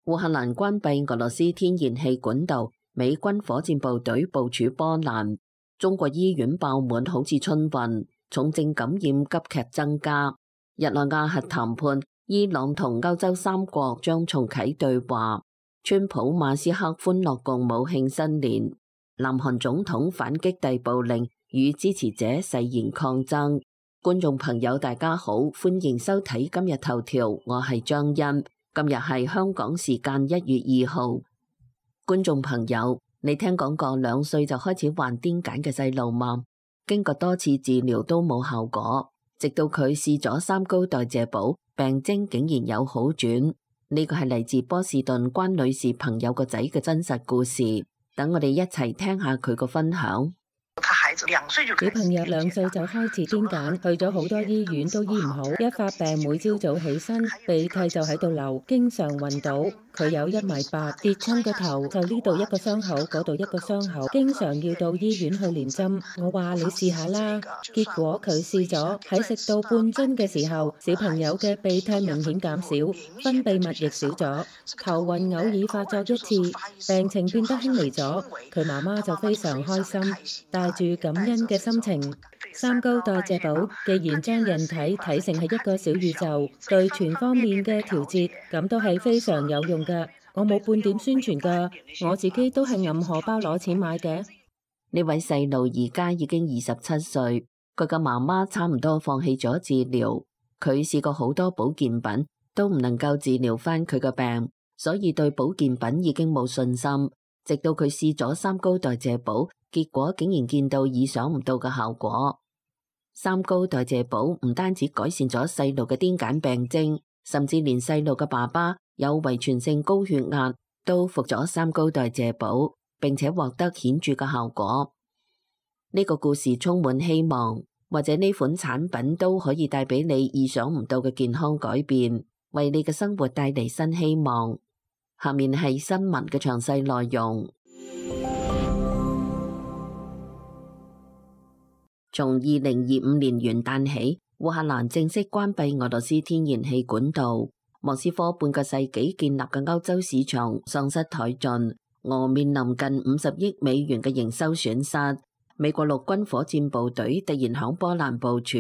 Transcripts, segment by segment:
烏克蘭關閉俄羅斯天然氣管道，美軍火箭部隊部署波蘭。中國醫院爆滿，好似春運，重症感染急劇增加。日內瓦核談判，伊朗同歐洲3國將重啟對話。川普馬斯克歡樂共舞慶新年。南韓總統反擊逮捕令，與支持者誓言抗爭。觀眾朋友大家好，歡迎收睇今日頭條，我係張欣。今日係香港時間1月2號。觀眾朋友，你聽講過2歲就開始患癲癇嘅細路嗎？經過多次治療都冇效果，直到佢試咗3高代謝寶，病徵竟然有好轉。呢個係嚟自波士頓關女士朋友個仔嘅真實故事。等我哋一齊聽下佢個分享。小朋友2歲就開始癲癇，去咗好多醫院都醫唔好，一發病每朝早起身鼻涕就喺度流，經常暈倒。佢有1.8米，跌親個頭就呢度一個傷口，嗰度一個傷口，經常要到醫院去連針。我話你試下啦，結果佢試咗，喺食到半樽嘅時候，小朋友嘅鼻涕明顯減少，分泌物亦少咗，頭暈偶爾發作1次，病情變得輕微咗。佢媽媽就非常開心，帶住感恩嘅心情。3高代謝寶既然將人體睇成係一個小宇宙，對全方面嘅調節，咁都係非常有用㗎。我冇半點宣傳㗎，我自己都係揞荷包攞錢買嘅。呢位細路而家已經27歲，佢嘅媽媽差唔多放棄咗治療。佢試過好多保健品，都唔能夠治療返佢嘅病，所以對保健品已經冇信心。直到佢試咗3高代謝寶，結果竟然見到意想唔到嘅效果。3高代謝寶唔單止改善咗細路嘅癲癇病徵，甚至連細路嘅爸爸有遺傳性高血壓都服咗3高代謝寶，並且獲得顯著嘅效果。呢個故事充滿希望，或者呢款產品都可以帶俾你意想唔到嘅健康改變，為你嘅生活帶嚟新希望。下面係新聞嘅詳細內容。從2025年元旦起，烏克蘭正式關閉俄羅斯天然氣管道。莫斯科半個世紀建立嘅歐洲市場喪失殆盡，俄面臨近50億美元嘅營收損失。美國陸軍火箭部隊突然響波蘭部署，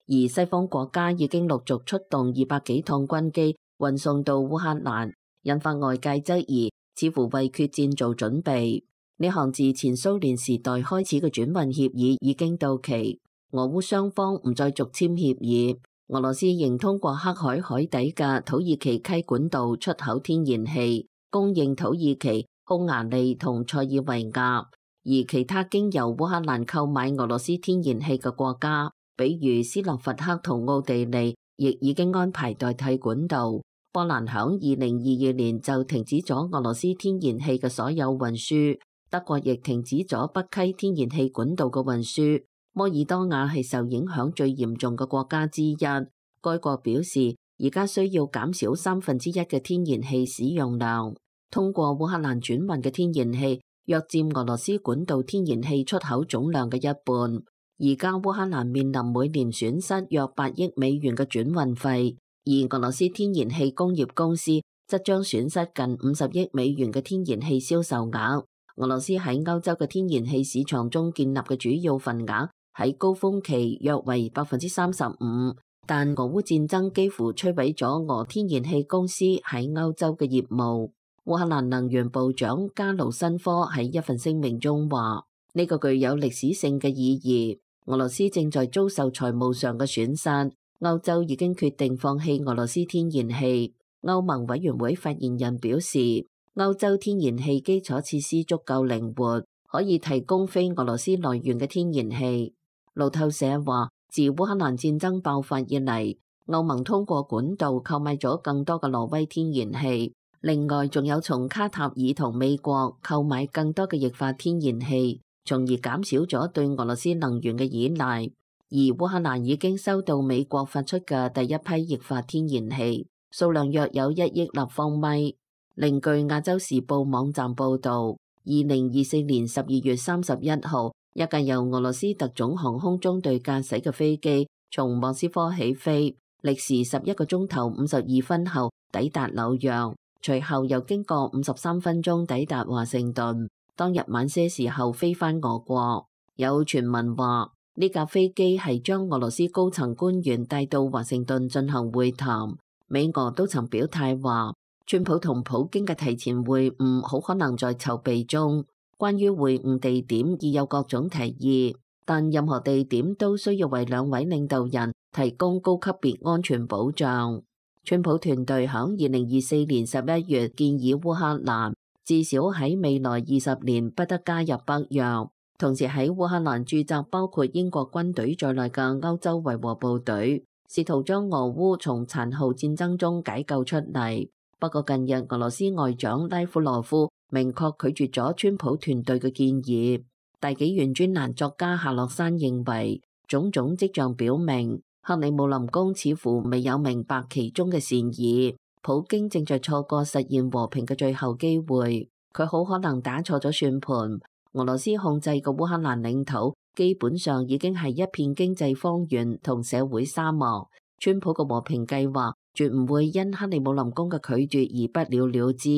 而西方國家已經陸續出動200幾趟軍機運送到烏克蘭，引發外界質疑，似乎為決戰做準備。呢項自前蘇聯時代開始嘅轉運協議已經到期，俄烏雙方唔再續簽協議。俄羅斯仍通過黑海海底嘅土耳其溪管道出口天然氣，供應土耳其、匈牙利同塞爾維亞，而其他經由烏克蘭購買俄羅斯天然氣嘅國家，比如斯洛伐克同奧地利，亦已經安排代替管道。波蘭響2022年就停止咗俄羅斯天然氣嘅所有運輸。德國亦停止咗北溪天然氣管道嘅運輸。摩爾多瓦係受影響最嚴重嘅國家之一。該國表示，而家需要減少1/3嘅天然氣使用量。通過烏克蘭轉運嘅天然氣約佔俄羅斯管道天然氣出口總量嘅1半。而家烏克蘭面臨每年損失約8億美元嘅轉運費，而俄羅斯天然氣工業公司則將損失近50億美元嘅天然氣銷售額。俄羅斯喺歐洲嘅天然氣市場中建立嘅主要份額喺高峰期約為35%，但俄烏戰爭幾乎摧毀咗俄天然氣公司喺歐洲嘅業務。烏克蘭能源部長加盧申科喺一份聲明中話：呢個具有歷史性嘅意義。俄羅斯正在遭受財務上嘅損失，歐洲已經決定放棄俄羅斯天然氣。歐盟委員會發言人表示，歐洲天然氣基礎設施足夠靈活，可以提供非俄羅斯來源嘅天然氣。路透社話，自烏克蘭戰爭爆發以嚟，歐盟通過管道購買咗更多嘅挪威天然氣，另外仲有從卡塔爾同美國購買更多嘅液化天然氣，從而減少咗對俄羅斯能源嘅依賴。而烏克蘭已經收到美國發出嘅第一批液化天然氣，數量約有1億立方米。另據亞洲時報網站報導，2024年12月31號，一架由俄羅斯特種航空中隊駕駛嘅飛機從莫斯科起飛，歷時11個鐘頭52分後抵達紐約，隨後又經過53分鐘抵達華盛頓，當日晚些時候飛返俄國。有傳聞話呢架飛機係將俄羅斯高層官員帶到華盛頓進行會談。美俄都曾表態話，川普同普京嘅提前會晤好可能在籌備中。關於會晤地點已有各種提議，但任何地點都需要為兩位領導人提供高級別安全保障。川普團隊響2024年11月建議烏克蘭至少喺未來20年不得加入北約，同時喺烏克蘭駐紮包括英國軍隊在內嘅歐洲維和部隊，試圖將俄烏從殘酷戰爭中解救出嚟。不過近日俄羅斯外長拉夫羅夫明確拒絕咗川普團隊嘅建議。大紀元專欄作家夏洛山認為，種種跡象表明克里姆林宮似乎未有明白其中嘅善意，普京正在錯過實現和平嘅最後機會。佢好可能打錯咗算盤。俄羅斯控制嘅烏克蘭領土基本上已經係一片經濟荒原同社會沙漠。川普嘅和平計劃絕唔會因克里姆林宮嘅拒絕而不了了之。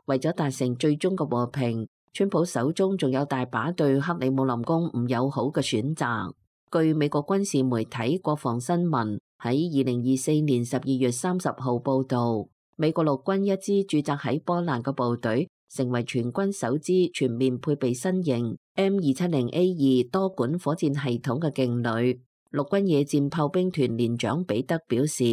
為咗達成最終嘅和平，川普手中仲有大把對克里姆林宮唔友好嘅選擇。據美國軍事媒體國防新聞喺2024年12月30號報導，美國陸軍一支駐紮喺波蘭嘅部隊成為全軍首支全面配備新型 M270A2 多管火箭系統嘅勁旅。陸軍野戰炮兵團連長彼得表示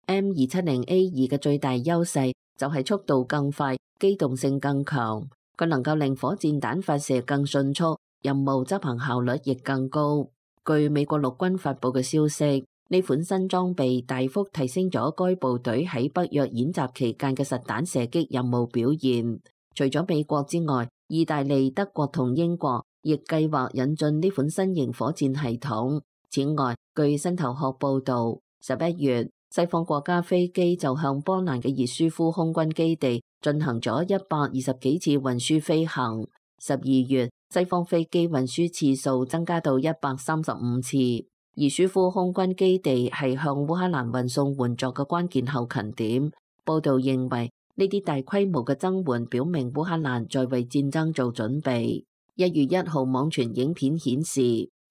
，M270A2 嘅最大優勢就係速度更快，機動性更強，佢能夠令火箭彈發射更迅速，任務執行效率亦更高。據美國陸軍發佈嘅消息，呢款新裝備大幅提升咗該部隊喺北約演習期間嘅實彈射擊任務表現。除咗美國之外，意大利、德國同英國亦計劃引進呢款新型火箭系統。此外，據新頭殼報導，11月西方國家飛機就向波蘭嘅熱舒夫空軍基地進行咗120幾次運輸飛行。12月西方飛機運輸次數增加到135次。熱舒夫空軍基地係向烏克蘭運送援助嘅關鍵後勤點。報導認為呢啲大規模嘅增援表明烏克蘭在為戰爭做準備。1月1號網傳影片顯示，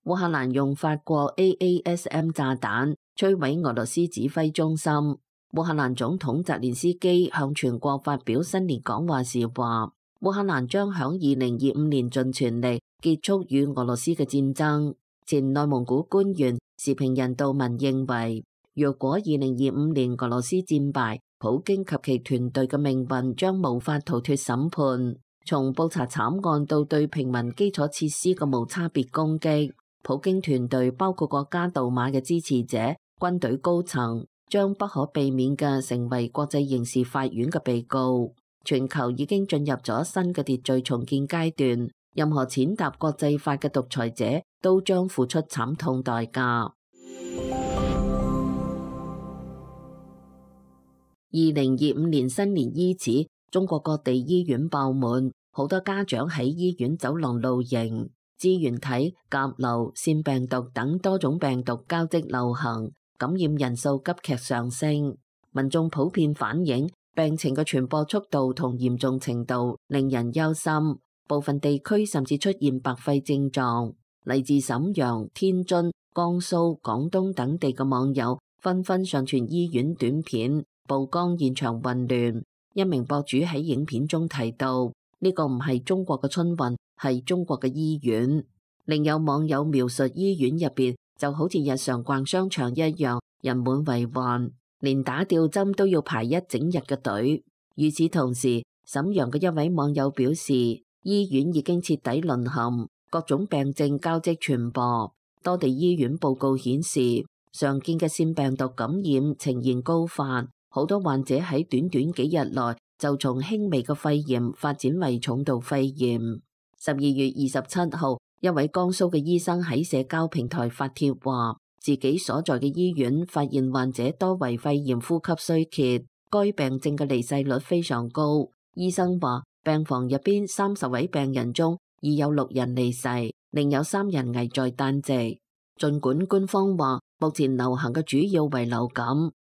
烏克蘭用法國 AASM 炸彈摧毀俄羅斯指揮中心。烏克蘭總統澤連斯基向全國發表新年講話時話，烏克蘭將響2025年盡全力結束與俄羅斯嘅戰爭。前內蒙古官員時評人杜文認為，若果2025年俄羅斯戰敗，普京及其團隊嘅命運將無法逃脫審判。從布查慘案到對平民基礎設施嘅無差別攻擊，普京團隊包括國家杜馬嘅支持者、軍隊高層，將不可避免嘅成為國際刑事法院嘅被告。全球已經進入咗新嘅秩序重建階段，任何踐踏國際法嘅獨裁者都將付出慘痛代價。2025年新年伊始，中國各地醫院爆滿，好多家長喺醫院走廊露營。支原體、甲流、腺病毒等多種病毒交織流行，感染人數急劇上升。民眾普遍反映病情嘅傳播速度同嚴重程度令人憂心，部分地區甚至出現白肺症狀。嚟自瀋陽、天津、江蘇、廣東等地嘅網友紛紛上傳醫院短片，曝光現場混亂。一名博主喺影片中提到，呢個唔係中國嘅春運，係中國嘅醫院。另有網友描述醫院入邊就好似日常逛商場一樣，人滿為患，連打吊針都要排一整日嘅隊。與此同時，瀋陽嘅一位網友表示，醫院已經徹底淪陷，各種病症交織傳播。多地醫院報告顯示，常見嘅腺病毒感染呈現高發，好多患者喺短短幾日內就從輕微嘅肺炎發展為重度肺炎。12月27號，一位江蘇嘅醫生喺社交平台發帖話，自己所在嘅醫院發現患者多為肺炎呼吸衰竭，該病症嘅離世率非常高。醫生話，病房入邊30位病人中已有6人離世，另有3人危在旦夕。儘管官方話目前流行嘅主要為流感、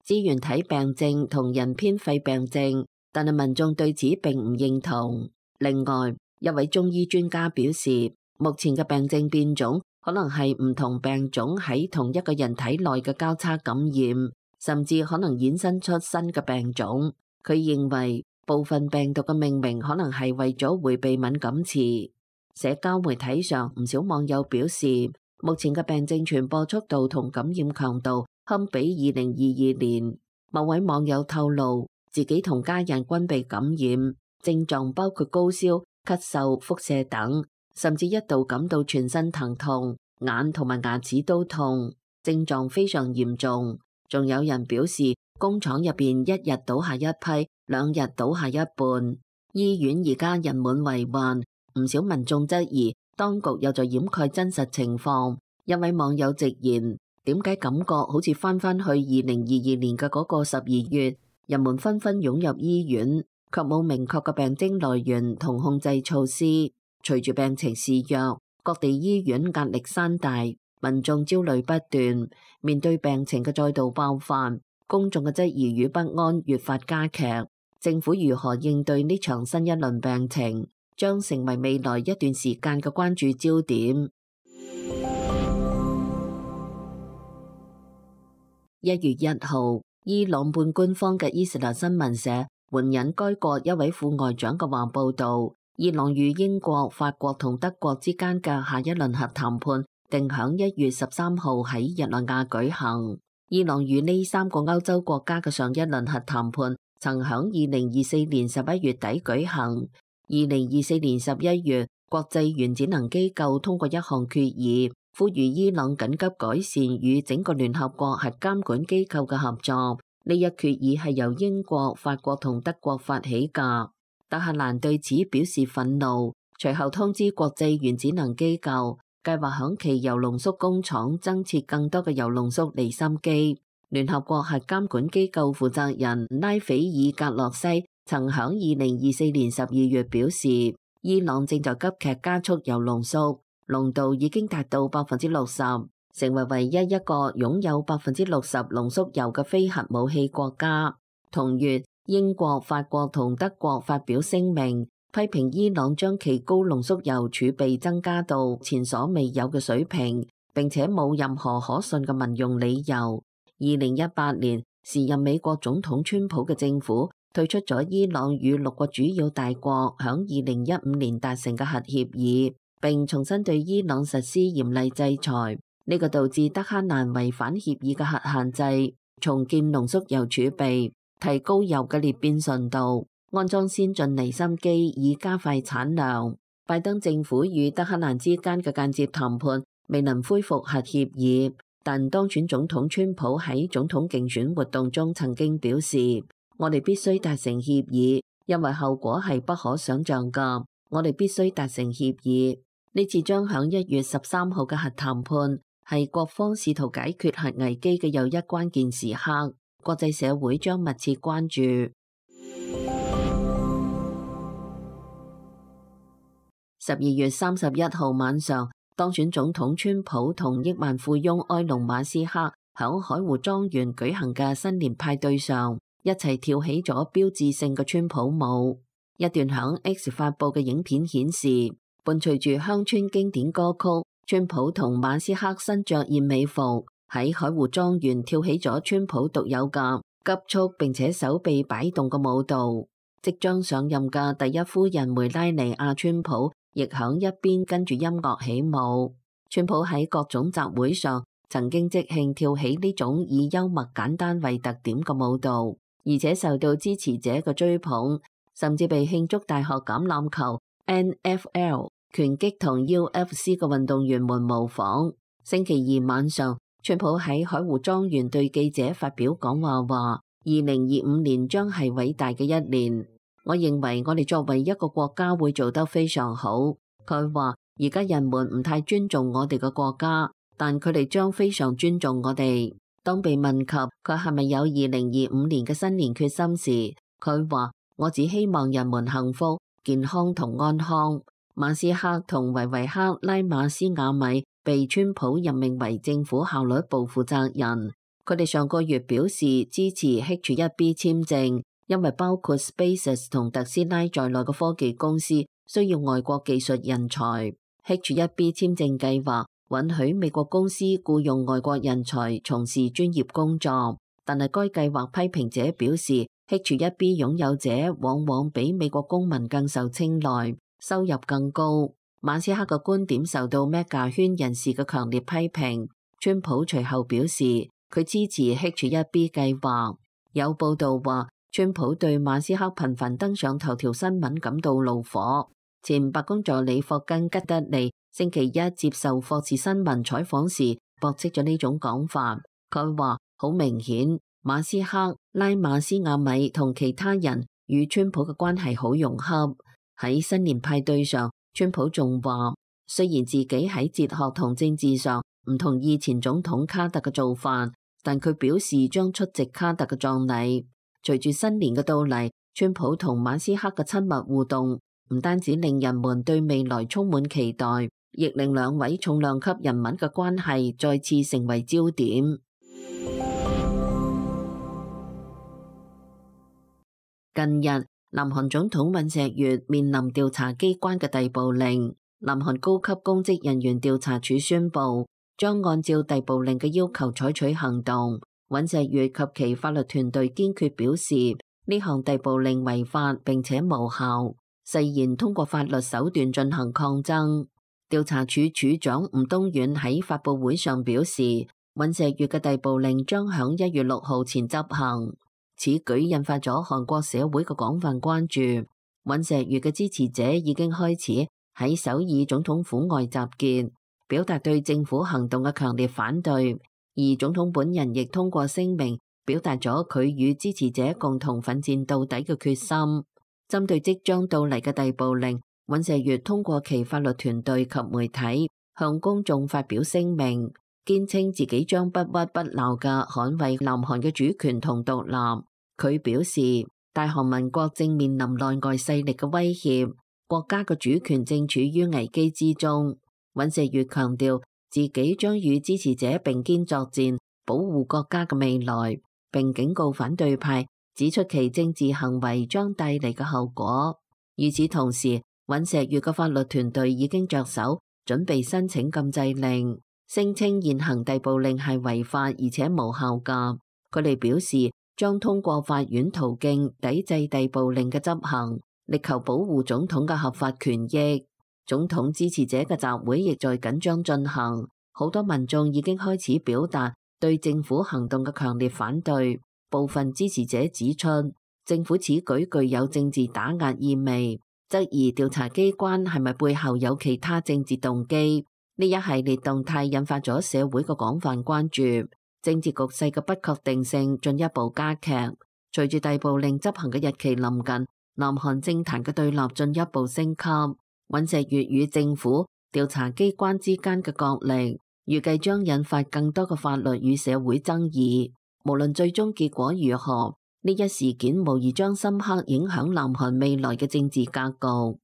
支原體病症同人偏肺病症，但係民眾對此並唔認同。另外，一位中醫專家表示，目前嘅病症變種可能係唔同病種喺同一個人體內嘅交叉感染，甚至可能衍生出新嘅病種。佢認為部分病毒嘅命名可能係為咗迴避敏感詞。社交媒體上唔少網友表示，目前嘅病症傳播速度同感染強度堪比2022年。某位網友透露，自己同家人均被感染，症狀包括高燒、咳嗽、腹瀉等，甚至一度感到全身疼痛，眼同埋牙齒都痛，症狀非常嚴重。仲有人表示，工廠入邊一日倒下一批，2日倒下一半。醫院而家人滿為患，唔少民眾質疑當局又在掩蓋真實情況。一位網友直言，點解感覺好似翻返去2022年嘅嗰個12月，人們紛紛湧入醫院，卻冇明確嘅病徵來源同控制措施。隨住病情肆虐，各地醫院壓力山大，民眾焦慮不斷。面對病情嘅再度爆發，公眾嘅質疑與不安越發加劇。政府如何應對呢場新一輪病情，將成為未來一段時間嘅關注焦點。1月1號，伊朗半官方嘅伊斯蘭新聞社援引該國一位副外長嘅話報道，伊朗與英國、法國同德國之間嘅下一輪核談判定響1月13號喺日內瓦舉行。伊朗與呢3個歐洲國家嘅上一輪核談判曾響2024年11月底舉行。2024年11月，國際原子能機構通過一項決議，呼籲伊朗緊急改善與整個聯合國核監管機構嘅合作。呢一決議係由英國、法國同德國發起㗎。德黑蘭對此表示憤怒，隨後通知國際原子能機構，計劃響其鈾濃縮工廠增設更多嘅鈾濃縮離心機。聯合國核監管機構負責人拉斐爾格洛西曾響2024年12月表示，伊朗正在急劇加速鈾濃縮，濃度已經達到60%，成為唯一一個擁有60%濃縮鈾嘅非核武器國家。同月，英國、法國同德國發表聲明，批評伊朗將其高濃縮鈾儲備增加到前所未有嘅水平，並且冇任何可信嘅民用理由。2018年，時任美國總統川普嘅政府退出咗伊朗與6個主要大國響2015年達成嘅核協議，並重新對伊朗實施嚴厲制裁。呢個導致德黑蘭違反協議嘅核限制，重建濃縮鈾儲備，提高鈾嘅裂變純度，安裝先進離心機以加快產量。拜登政府與德黑蘭之間嘅間接談判未能恢復核協議，但當選總統川普喺總統競選活動中曾經表示，我哋必須達成協議，因為後果係不可想象㗎。我哋必須達成協議。呢次將響1月13號嘅核談判係各方試圖解決核危機嘅又一關鍵時刻，國際社會將密切關注。12月31號晚上，當選總統川普同億萬富翁埃隆馬斯克響海湖莊園舉行嘅新年派對上，一齊跳起咗標誌性嘅川普舞。一段響 X 發佈嘅影片顯示，伴隨住鄉村經典歌曲，川普同馬斯克身着燕尾服喺海湖莊園跳起咗川普獨有嘅急速並且手臂擺動嘅舞蹈。即將上任嘅第一夫人梅拉尼亞川普亦響一邊跟住音樂起舞。川普喺各種集會上曾經即興跳起呢種以幽默簡單為特點嘅舞蹈，而且受到支持者嘅追捧，甚至被慶祝大學橄欖球、NFL、拳擊同 UFC 嘅運動員們模仿。星期二晚上，川普喺海湖莊園對記者發表講話，話2025年將係偉大嘅一年。我認為我哋作為一個國家會做得非常好。佢話而家人們唔太尊重我哋嘅國家，但佢哋將非常尊重我哋。當被問及佢係咪有2025年嘅新年決心時，佢話我只希望人們幸福、健康同安康。馬斯克同維維克拉馬斯瓦米被川普任命為政府效率部負責人。佢哋上個月表示支持 H1B 簽證，因為包括 SpaceX 同特斯拉在內嘅科技公司需要外國技術人才。H-1B 簽證計劃允許美國公司僱用外國人才從事專業工作，但係該計劃批評者表示 H-1B 擁有者往往比美國公民更受青睞，收入更高。馬斯克嘅觀點受到 Mega 圈人士嘅強烈批評。川普隨後表示佢支持 H-1B 計劃。有報道話，川普對馬斯克頻繁登上頭條新聞感到怒火。前白宮助理霍根吉德利星期一接受霍士新聞採訪時駁斥咗呢種講法。佢話好明顯，馬斯克、拉馬斯亞米同其他人與川普嘅關係好融洽。喺新年派對上，川普仲話，雖然自己喺哲學同政治上唔同意前總統卡特嘅做法，但佢表示將出席卡特嘅葬禮。隨住新年嘅到嚟，川普同馬斯克嘅親密互動唔單止令人們對未來充滿期待，亦令兩位重量級人物嘅關係再次成為焦點。近日，南韓總統尹錫悅面臨調查機關嘅逮捕令。南韓高級公職人員調查處宣布，將按照逮捕令嘅要求採取行動。尹錫悅及其法律團隊堅決表示，呢項逮捕令違法並且無效，誓言通過法律手段進行抗爭。調查處處長吳東遠喺發佈會上表示，尹錫悅嘅逮捕令將響1月6號前執行。此舉引發咗韓國社會嘅廣泛關注。尹錫悅嘅支持者已經開始喺首爾總統府外集結，表達對政府行動嘅強烈反對。而總統本人亦通過聲明，表達咗佢與支持者共同奮戰到底嘅決心。針對即將到嚟嘅逮捕令，尹錫悅通過其法律團隊及媒體向公眾發表聲明，堅稱自己將不屈不撓嘅捍衛南韓嘅主權同獨立。佢表示，大韓民國正面臨內外勢力嘅威脅，國家嘅主權正處於危機之中。尹錫悅強調自己將與支持者並肩作戰，保護國家嘅未來，並警告反對派，指出其政治行為將帶嚟嘅後果。與此同時，尹錫悅嘅法律團隊已經着手準備申請禁制令，聲稱現行逮捕令係違法而且無效㗎。佢哋表示將通過法院途徑抵制逮捕令嘅執行，力求保護總統嘅合法權益。總統支持者嘅集會亦在緊張進行，好多民眾已經開始表達對政府行動嘅強烈反對。部分支持者指出，政府此舉具有政治打壓意味，質疑調查機關係咪背後有其他政治動機。呢一系列動態引發咗社會嘅廣泛關注，政治局勢嘅不確定性進一步加劇。隨住逮捕令執行嘅日期臨近，南韓政壇嘅對立進一步升級。尹錫悅與政府調查機關之間嘅角力，預計將引發更多嘅法律與社會爭議。無論最終結果如何，呢一事件無疑將深刻影響南韓未來嘅政治格局。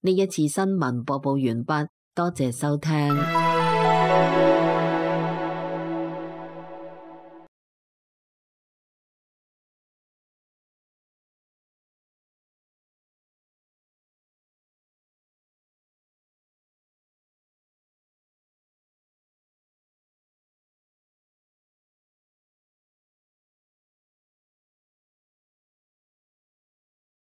呢一次新聞播報完畢，多謝收聽。